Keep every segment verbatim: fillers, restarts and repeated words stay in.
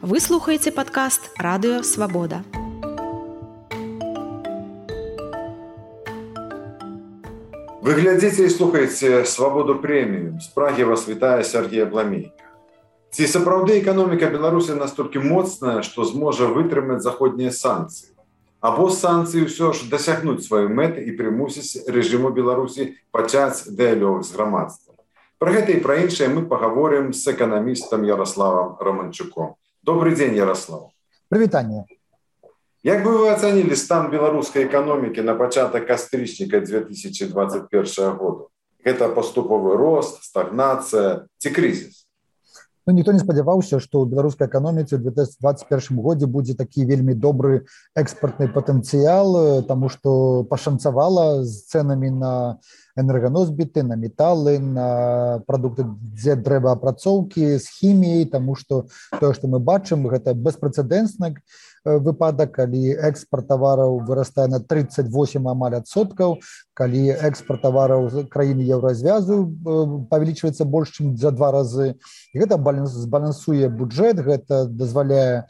Вы слухаеце падкаст Радыё Свабода. Вы глядзіце і слухаеце Свабоду прэміум. З Прагі вас вітае Сергей Абламейка. Ці сапраўды эканоміка Беларусі настолькі моцная, што зможа вытрымаць заходнія санкцыі? Або санкцыі ўсё ж дасягнуць сваёй мэты і прымусіць рэжыму Беларусі пачаць дыялог з грамадствам? Пра гэта і пра іншае мы пагаворым з эканамістам Ярославам Романчуком. Добрый день, Ярослав. Привитание. Як бы вы оценили стан белорусской экономики на початок кастрычніка две тысячи двадцать первого года? Это поступовый рост, стагнация, ці кризис? Ну, никто не спадзяваўся, што ў беларускай эканоміцы ў две тысячи двадцать первом годзе будзе такі вельмі добры экспартны патэнцыял, таму што пашанцавала з цэнамі на энерганосбіты, на металы, на прадукты дрэваапрацоўкі, з хіміяй, таму што тое, што мы бачым, гэта беспрэцэдэнтны выпадак, калі экспарт тавараў вырастае на тридцать восемь амаль адсоткаў, калі экспарт тавараў з краіны еўразвязу павялічваецца больш, чым за два разы. І гэта збалансуе бюджэт, гэта дазваляе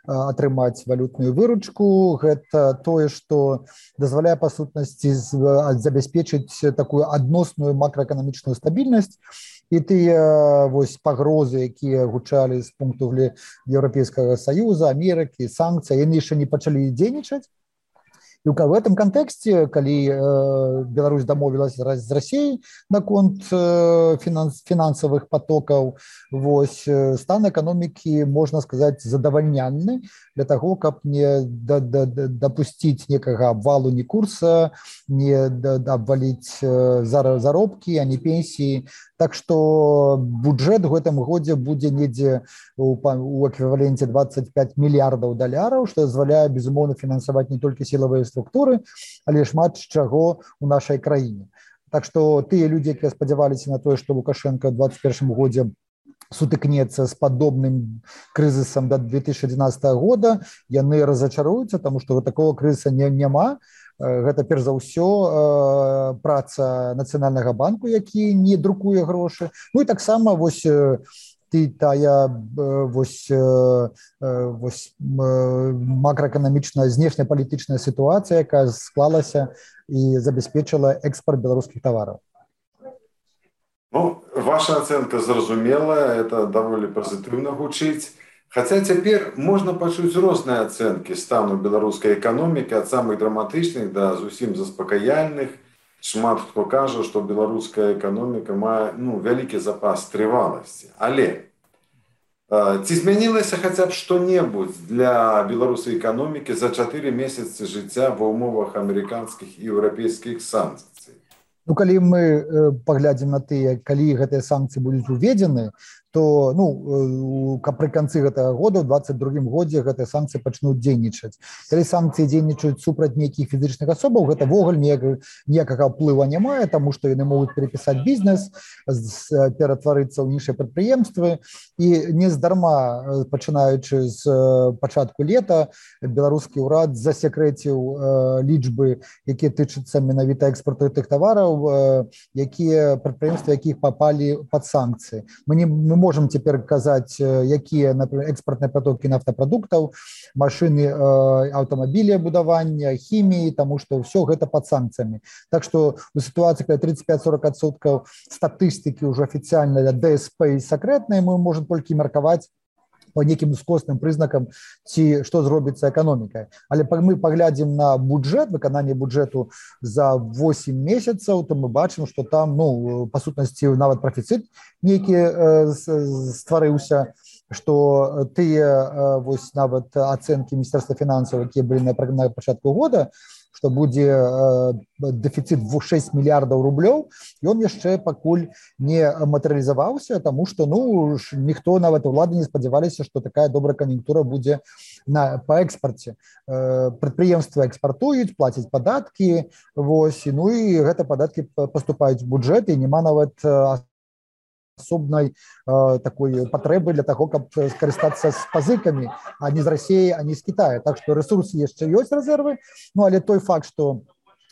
атрымаць валютную выручку, гэта тое, што дазваляе па сутнасці забяспечыць такую адносную макраэканамічную стабільнасць. І тыя вось пагрозы, якія гучалі з пункту Еўрапейскага Саюза, Амерыкі, санкцый, яны яшчэ не пачалі дзейнічаць. І в этом контексте, калі Беларусь дамовілась з Расіяй наконт фінансавых потокаў, вось стан эканомікі, можна сказаць, задавальнянны для таго, каб не дапусціць некага абвалу ні курса, не абваліць заробкі, а не пенсіі. Так што бюджэт у гэтым годзе будзе недзе у эквіваленце двадцать пять мільярдаў даляраў, што дазваляе, безумоўна, фінансаваць не толькі сілавыя структуры, але шмат чаго ў нашай краіне. Так што тыя людзі, якія спадзяваліся на тое, што Лукашенко ў двадцать первом годзе сутыкнецца з падобным крызісам да две тысячи одиннадцатого года, яны разачаруюцца, таму што такого крызіса не, няма. Гэта перш за ўсё праца Нацыянальнага банку, які не друкуе грошы. Ну і таксама вось ты тая вось, вось макраэканамічная знешнепалітычная сітуацыя, якая склалася і забяспечыла экспарт беларускіх тавараў. Ну, ваша ацэнка зразумелая, это даволі пазітыўна гучыць. Хаця цяпер можна пачуць розныя ацэнкі стану беларускай эканомікі, ад самых драматычных да зусім заспакаяльных. Шмат хто кажа, што беларуская эканоміка мае ну, вялікі запас трываласці. Але э, ці змянілася хаця б што-небудзь для беларускай эканомікі за чатыры месяцы жыцця ва ўмовах амерыканскіх і еўрапейскіх санкцый? Ну, калі мы э, паглядзім на тыя, калі гэтыя санкцыі будуць уведзены, то ну, пры канцы гэтага года, ў двадцать другім годзе гэтыя санкцыі пачнуць дзейнічаць. Калі санкцыі дзейнічаюць супраць нейкіх фізічных асобаў, гэта ввогуле ніякага ўплыва не мае, таму што яны могуць перапісаць бізнес, ператварыцца ў іншыя прадпрыемствы. І нездарма, пачынаючы з пачатку лета, беларускі ўрад засекрэціў лічбы, якія тычацца менавіта экспарту тых тавараў, якія прадпрыемствы, якіх папалі пад санкцыі. Мы не мы можем цяпер казаць, якія, например, экспартныя потокі нафтапрадуктаў, машыны, аўтамабілі будавання, хіміі, таму што ўсё гэта пад санкцыямі. Так што у сітуацыі, калі тридцать пять сорок адсоткаў статыстыкі ўжо афіцыяльна для дэ эс пэ і сакрэтныя, мы можем толькі меркаваць по неким ускосным прызнакам, ці што зробіцца эканомікай. Але мы паглядзім на бюджэт, выкананне бюджэту за восемь месяцаў, то мы бачым, што там, ну, па сутнасці, нават прафіцыт нейкі э, стварыўся, што тыя э, вось нават ацэнкі Міністэрства фінансаў, якія былі на, на пачатку года, што будзе э, дэфіцыт шесть мільярдаў рублёў, ён яшчэ пакуль не матэрыялізаваўся, таму што ну, ніхто, нават улады не спадзяваліся, што такая добрая кан'юнктура будзе на, па экспарце. Э, прадпрыемствы экспартуюць, плацяць падаткі, вось, ну і гэта падаткі паступаюць в бюджэт, і няма нават асобнай э, такой патрэбы для таго, каб скарыстацца з пазыкамі, а не з Расіі, а не з Кітая. Так што рэсурсы яшчэ ёсць рэзервы, ну але той факт, што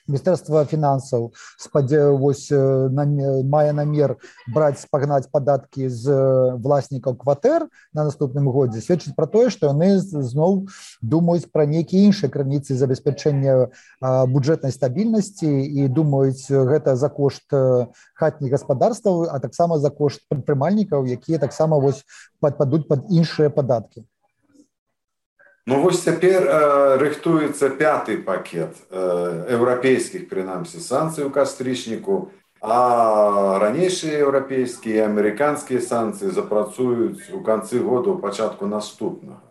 Міністэрства фінансаў спадзяюсь мае намер браць пагнаць падаткі з власнікаў кватэр на наступным годзе, сведчыць пра тое, што яны зноў думаюць пра нейкія іншыя крыніцы забеспячэння бюджэтнай стабільнасці і думаюць гэта за кошт хатніх гаспадарстваў, а таксама за кошт прадпрымальнікаў, якія таксама вось падпадуць пад іншыя падаткі. Ну вось цяпер э, рыхтуецца пяты пакет э, еўрапейскіх, прынамсі, санкцый у кастрычніку, а ранейшыя еўрапейскія і амерыканскія санкцыі запрацуюць у канцы года, у пачатку наступнага.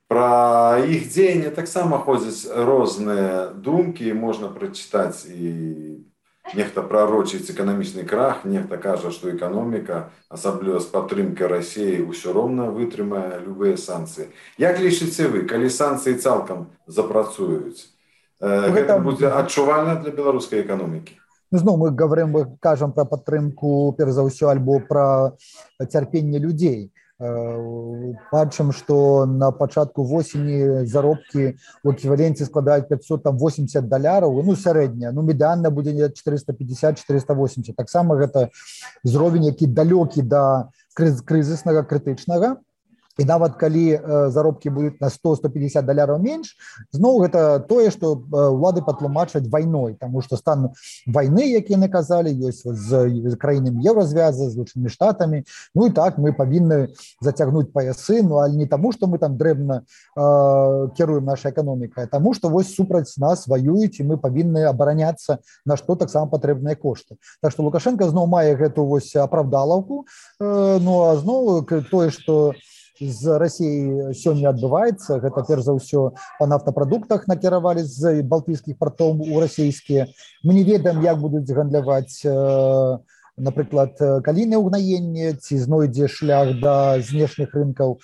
Пра іх дзеянне таксама ходзяць розныя думкі, можна прачытаць і нехта прарочыць эканамічны крах, нехта кажа, што эканоміка, асабліва з падтрымкай Расіі, усё роўна вытрымае любыя санкцыі. Як лічыце вы, калі санкцыі цалкам запрацуюць, гэта, гэта будзе адчувальна для беларускай эканомікі? Зноў мы говорим, мы кажам пра падтрымку, перш за ўсё, альбо пра цярпенне людзей. Бачым, што на пачатку восені заробкі ў эквіваленце складаюць пятьсот восемьдесят даляраў, ну сярэдняя, ну медыанна будзе четыреста пятьдесят - четыреста восемьдесят. Таксама гэта ўзровень, які далёкі да крызіснага, крытычнага. І нават калі заробкі будуць на сто - сто пятьдесят даляраў менш, зноў гэта тое, што ўлады патлумачаць вайной, таму што стан вайны, які яны казалі, ёсць з краінамі Еўразвяза, з Злучанымі Штатамі. Ну і так, мы павінны зацягнуць паясы, ну але не таму, што мы там дрэбна э, кіруем нашай эканомікай, а таму, што вось супраць нас ваююць, і мы павінны абараняцца, на што таксама патрэбныя кошты. Так што Лукашенко зноў мае гэту вось апраўдалаўку, э, ну а зноў тое, што з Расіяй сёння адбываецца, гэта перш за ўсё па нафтапрадуктах накіравалі з балтыйскіх партоў у расійскія. Мы не ведаем, як будуць гандляваць, напрыклад, калійнае ўгнаенне, ці знойдзе шлях да знешніх рынкаў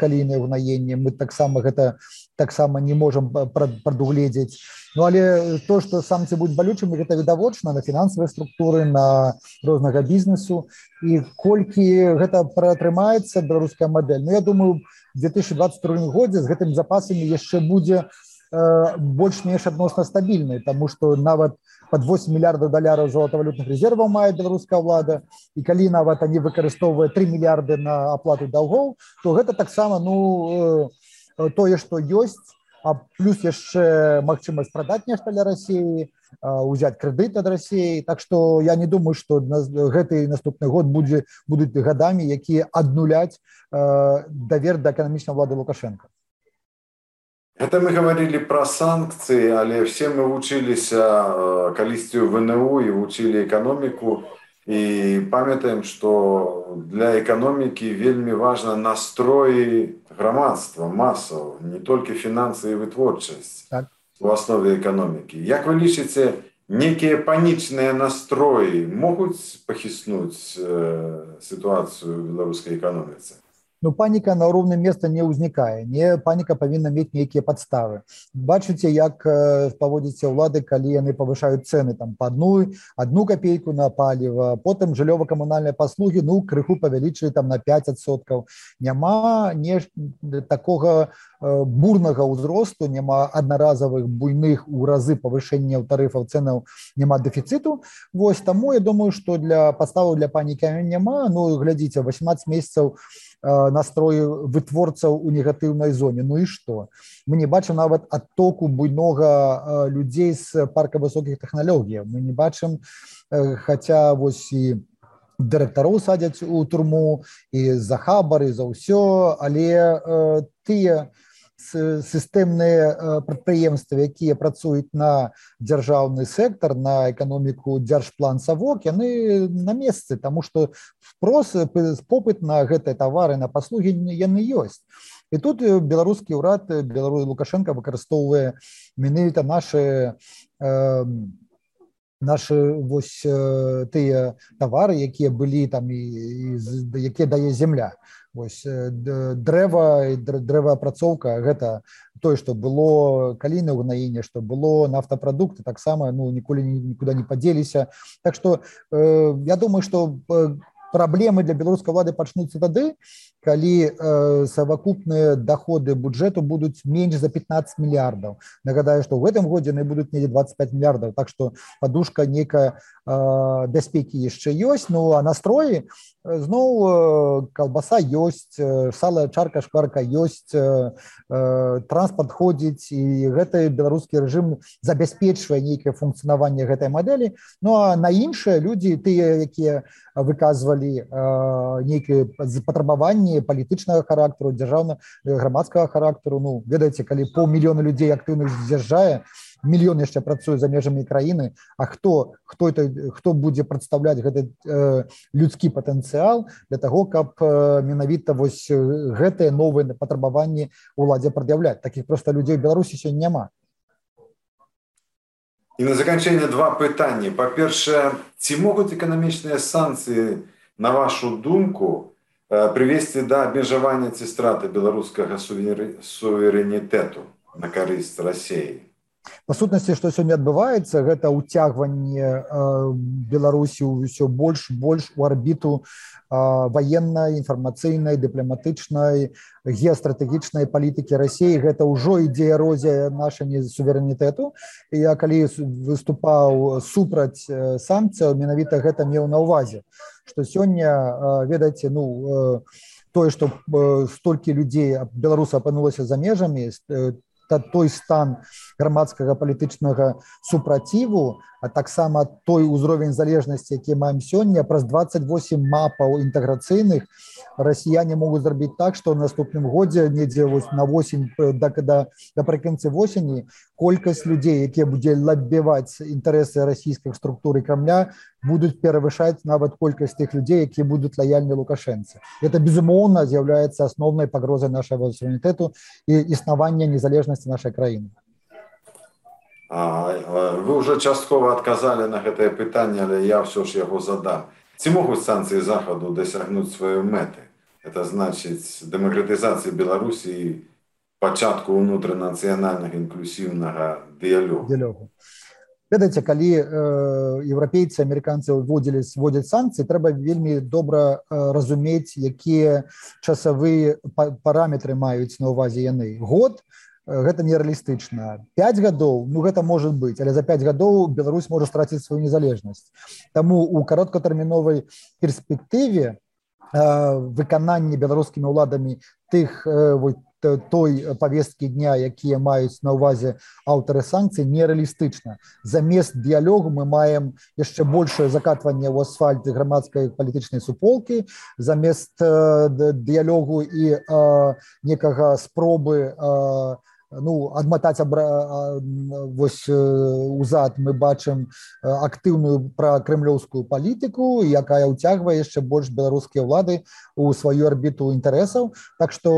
калійнае ўгнаенне. Мы таксама гэта таксама не можам прадугледзець. Ну але то, што санкцыі будуць балючымі, гэта відавочна на фінансавыя структуры, на рознага бізнесу. І колькі гэта пратрымаецца беларуская мадэль. Ну я думаю, в две тысячи двадцать вторым годзе з гэтымі запасамі яшчэ будзе э, больш-менш адносна стабільнай, таму што нават пад восемь мільярдаў даляраў золатавалютных рэзерваў мае беларуская ўлада, і калі нават они выкарыстоўвае три мільярды на аплату даўгоў, то гэта таксама ну э, тое, што ёсць, а плюс яшчэ магчымасць прадаць нешта для Расіі, узяць крэдыт ад Расіі. Так што я не думаю, што гэты наступны год будзе, будуць гадамі, якія аднуляць э, давер да эканамічнай ўлады Лукашенка. Это мы говорили про санкции, але все мы вучыліся калісьці ў вэ эн у і вучылі эканоміку. І памятаем, што для эканомікі вельмі важна настроі грамадства, масаў, не толькі фінансы і вытворчасць так. У аснове эканомікі. Як вы лічыце, некія панічныя настроі могуць пахіснуць э, сітуацыю ў беларускай эканоміцы? Ну, паніка на роўным месца не ўзнікае. Не, паніка павінна мець нейкія падставы. Бачыце, як э, паводзіцца ўлады, калі яны павышаюць цэны там па адну, адну капейку на паліва, потым жыллёва-камунальныя паслугі, ну, крыху павялічылі там на пять адсоткаў. Няма не такога э, бурнага ўзросту, няма аднаразовых буйных у разы павышэнняў тарыфаў цэнаў, няма дэфіцыту. Вось таму я думаю, што для падставаў для панікі няма. Ну, глядзіце, восемнадцать месяцаў настрою вытворцаў у негатыўнай зоне. Ну і што? Мы не бачым нават адтоку буйнога людзей з парка высокіх тэхналогій. Мы не бачым, хаця вось і дырэктароў садзяць у турму, і за хабар, і за ўсё, але тыя сістэмныя прадпрыемствы, якія працуюць на дзяржаўны сектар, на эканоміку дзяржплан Савок, яны на месцы, таму што спрос, попыт на гэтыя тавары, на паслугі яны ёсць. І тут беларускі ўрад, беларус Лукашенко выкарыстоўвае менавіта нашы э, нашы вось тыя тавары, якія былі там і, і якія дае земля. Вось дрэва і дрэваапрацоўка гэта тое, што было калійнае ўгнаенне, што было нафтапрадукты, таксама ну ніколі нікуды не падзеліся. Так што э, я думаю, што Праблемы для беларускай улады пачнуцца тады, калі э, совокупныя доходы бюджэту будуць менш за пятнадцать мільярдаў. Нагадаю, што ў гэтым годзе яны будуць недзе двадцать пять мільярдаў, так што падушка нейкая э, бяспекі яшчэ ёсць, ну а настроі зноў э, калбаса ёсць, э, сала, чарка, шкварка ёсць, э, э, транспарт ходзіць, і гэты беларускі рэжым забяспечвае нейкае функцыянаванне гэтай мадэлі. Ну а на іншыя людзі, тыя, якія выказвалі э, нейкія патрабаванні палітычнага характару, дзяржаўна грамадскага характару, ну ведаеце, калі паўмільёна людзей актыўна з'язджае, мільён яшчэ працуе за межамі краіны, а хто хто это хто будзе прадстаўляць гэты э, людскі патэнцыял для таго, каб э, менавіта вось гэтыя новыя патрабаванні ўладзе прад'яўляць. Такіх проста людзей у Беларусі сёння няма. І на заканчэнне два пытанні. Па-першае, ці могуць эканамічныя санкцыі, на вашу думку, прывесці да абмежавання ці страты беларускага суверэнітэту на карысць Расіі? Па сутнасці, што сёння адбываецца, гэта ўцягванне э, Беларусі ўсё больш больш у арбіту э, ваеннай, інфармацыйнай, дыпламатычнай, геастратэгічнай палітыкі Расіі. Гэта ўжо ідзе эрозія нашага суверэнітэту. І я калі выступаў супраць э, санкцыяў, менавіта гэта меў на ўвазе, што сёння, э, ведаеце, ну э, тое, што э, столькі людзей беларусаў апынулася за межамі, э, той стан грамадскага палітычнага супраціву, а таксама той узровень залежнасці, які маем сёння, праз двадцать восемь мапаў інтэграцыйных расіяне могуць зрабіць так, што ў наступным годзе недзе на восень да, да, напрыканцы восені колькасць людзей, якія будзе лабіваць інтарэсы расійскіх структур і Крамля, будуць перавышаць нават колькасць тых людзей, якія будуць лаяльны Лукашэнцы. Гэта, безумоўна, з'яўляецца асноўнай пагрозай нашага суверэнітэту і існавання незалежнасці нашай краіны. А, вы ўжо часткова адказалі на гэтае пытанне, але я ўсё ж яго задам. Ці могуць санкцыі Захаду дасягнуць сваёй мэты? Это значыць дэмакратызацыі Беларусі і пачатку ўнутранацыянальнага інклюсіўнага дыялогу. Дыялогу. Ведаеце, калі э, еўрапейцы, амерыканцы вводзілі вводзяць санкцыі, трэба вельмі добра э, разумець, якія часавыя параметры маюць на ўвазе яны. Год гэта нереалістычна. пять гадоў, ну гэта можа быць, але за пять гадоў Беларусь можа страціць сваю незалежнасць. Таму у кароткатэрміновай перспектыве э, выкананне беларускімі ўладамі тых э, той повесткі дня, якія маюць на ўвазе аўтары санкцый, нереалістычна. Замест дыялогу мы маем яшчэ большее закатванне ў асфальт грамадскай палітычнай суполкі, замест э, дыялогу і э, некага спробы э, ну, адматаць абра... вось узад мы бачым актыўную пракрэмлёўскую палітыку, якая ўцягвае яшчэ больш беларускія ўлады у сваю арбіту інтарэсаў. Так што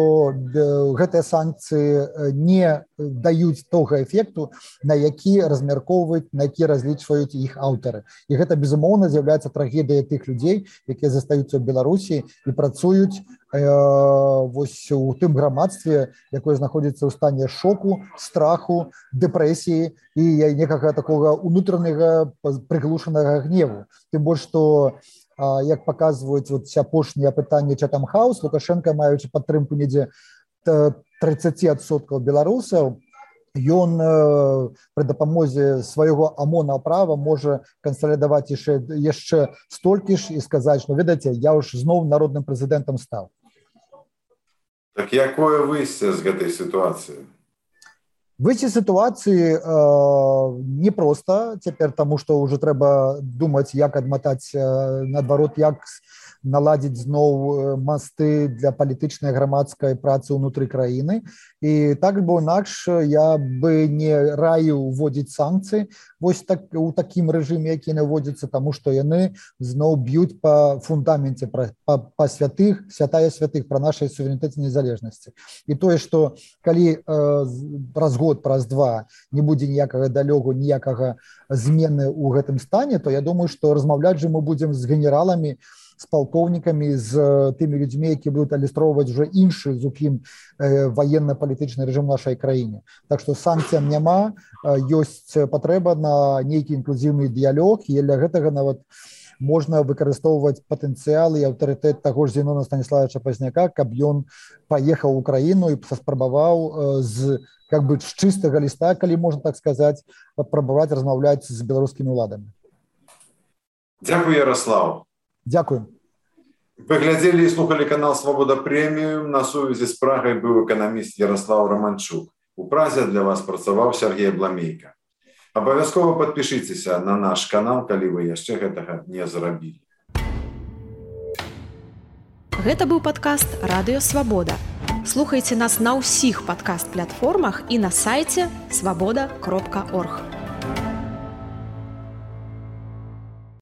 гэтыя санкцыі не даюць того эфекту, на які размяркоўваюць, на які разлічваюць іх аўтары. І гэта, безумоўна, з'яўляецца трагедыя тых людзей, якія застаюцца ў Беларусі і працуюць вось у тым грамадстве, якое знаходзіцца ў стане шоку, страху, дэпрэсіі і некага такога унутранага прыглушанага гневу. Тым больш, што, як паказваюць вот апошнія апытанні Chatham House, Лукашенко, маючы падтрымку недзе тридцать адсоткаў беларусаў, ён пры дапамозе свайго АМОНа права можа кансалідаваць яшчэ, яшчэ столькі ж і сказаць, што, ведаеце, я ўж зноў народным прэзідэнтам стаў. Так якое выйсце з гэтай сітуацыі? Выйсце сітуацыі э, непроста цяпер, таму што ўжо трэба думаць, як адматаць, э, наадварот, як наладзіць зноў масты для палітычнай грамадскай працы ўнутры краіны. І так бо інакш я бы не раіў уводзіць санкцыі вось так, у такім рэжыме, які наводзіцца, таму што яны зноў б'юць па фундаменце, па, па, па святых, святая святых, пра нашай суверэнітэце незалежнасці. І тое, што калі э, праз год, праз два не будзе ніякага далёгу, ніякага змены ў гэтым стане, то я думаю, што размаўляць жа мы будзем з генераламі, з палкоўнікамі, з тымі людзьмі, які будуць алюстроўваць уже іншы зусім э, ваенна-палітычны рэжым нашай краіне. Так што санкцыям няма, э, ёсць патрэба на нейкі інклюзіўны дыялог, і для гэтага нават можна выкарыстоўваць патэнцыял і аўтарытэт таго ж Зенона Станіславовича Пазняка, каб ён паехаў у краіну і паспрабаваў з как бы з чыстага ліста, калі можна так сказаць, паспрабаваць размаўляць з беларускімі ўладамі. Дзякуй, Ярослав. Дзякуй. Вы глядзелі і слухалі канал «Свабода Прэміум». На сувязі з Прагай быў эканаміст Ярослав Романчук. У Празе для вас працаваў Сергей Бламейка. Абавязкова падпішыцеся на наш канал, калі вы яшчэ гэтага не зрабілі. Гэта быў падкаст «Радыё Свабода». Слухайце нас на ўсіх падкаст-платформах і на сайце свабода кропка орг.